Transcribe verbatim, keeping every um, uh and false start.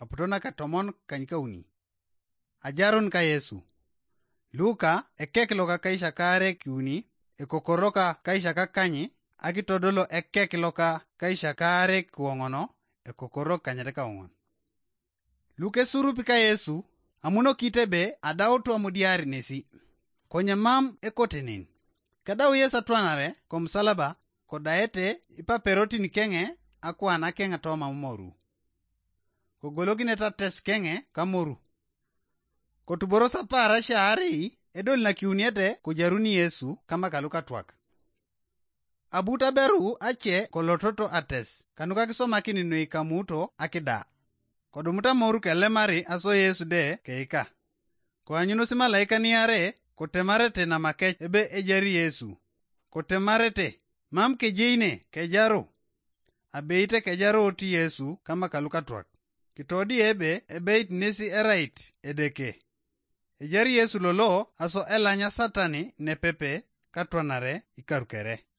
aputo naka tomon kany kauni. Ajarun ka Yesu. Luka ekek loka kaisha kaare kiuni, ekokoro ka kaisha kakany, akitodolo ekek loka kaisha kaare kiwoŋono, ekokoro kanyete kawoŋon. Lukesurupi ka Yesu, amunokite be adautu amudiari nesi. Konye mam ekotenen. Kedau Yesu atwanare komusalaba, kodaete ipaperotin keŋe akuan akeŋ toma moru. Kogolokinete ates keŋe kamoru. Kotuboros apaarasia aarei edol nakiuniete kojaruni Yesu kama kalukatwak. Abut aberu ace kolototo ates kanuka kisomakin noi kamuto akida. Kodumut amoru kelemari aso Yesu de keika. Koanyunos imalaika niare kotemarete namakec ebe ejari Yesu. Kotemarete, mam kejeine kejaru. Abeite kejaru ti Yesu kama kalukatwak. Kitodi ebe ebeit nesi erait Edeke. Ejar Yesu lolo aso elanya Satani nepepe katwanare ikarukere.